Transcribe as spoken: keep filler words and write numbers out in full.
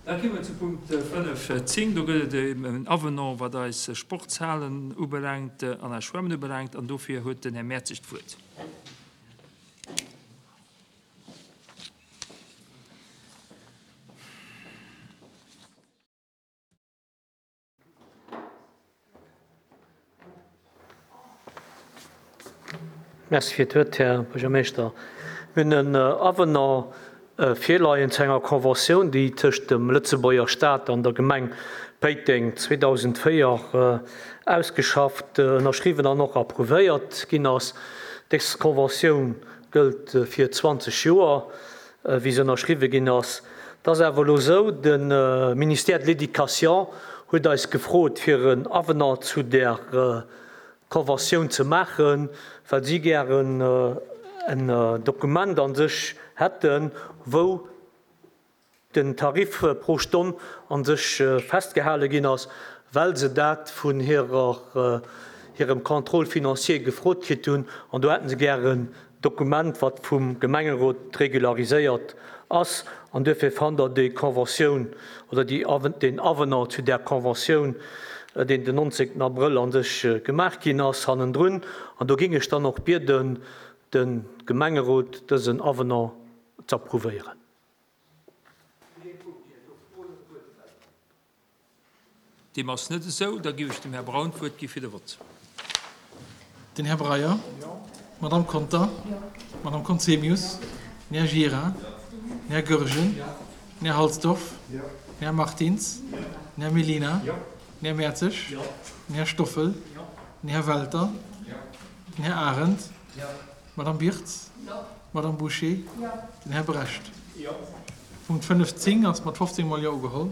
Da komme mer zu Punkt fënnef zéng. Do gëtt et en Avenant, wat eis Sportshalen ubelaangt an eis Schwämmen ubelaangt. An dofir huet den Här Mertzig d'Wuert. Merci fir d'Wuert, Här Buergermeeschter. Mir hunn en Avenant virleien zu enger Conventioun, déi tëscht dem Lëtzebuerger Staat an der Gemeng Péiteng zweedausendvéier ausgeschafft, ënnerschriwwen an och approuvéiert ginn ass. Dës Conventioun gëllt fir zwanzeg Joer, wéi se ënnerschriwwe ginn ass. Et ass awer elo esou, de Ministère de l'Éducation huet eis gefrot, fir en Avenant zu där Conventioun ze maachen, well si gären en Dokument an sech hätten, wou den Tarif pro Stonn an sech festgehale ginn ass, well se dat vun hirer, hirem Contrôle financier gefrot kritt hunn. An do hätten se gären en Dokument, wat vum Gemengerot regulariséiert ass. An duerfir fannt Der déi Conventioun oder déi, deen Avenant zu där Conventioun, deen den nonzéngten Abrëll an sech gemaach ginn ass, hannendrun. An do géing ech dann och bieden, de Gemengerot dësen Avenant z'approuvéieren. Deem ass net esou. Da géif ech dem Här Braun d'Wuert gi fir de Vott. Den Här Breyer. D'Madame Conter. D'Madame Conzemius. Den Här Gira. Den Här Goergen. Den Här Halsdorf. Den Här Martins. Den Här Mellina. Den Här Mertzig. Den Här Stoffel. Den Här Welter. Den Här Arendt. D'Madame Birtz. D'Madame Bouché. Den Här Brecht. Punkt fënnefzéng ass mat fofzéng Mol Jo ugeholl.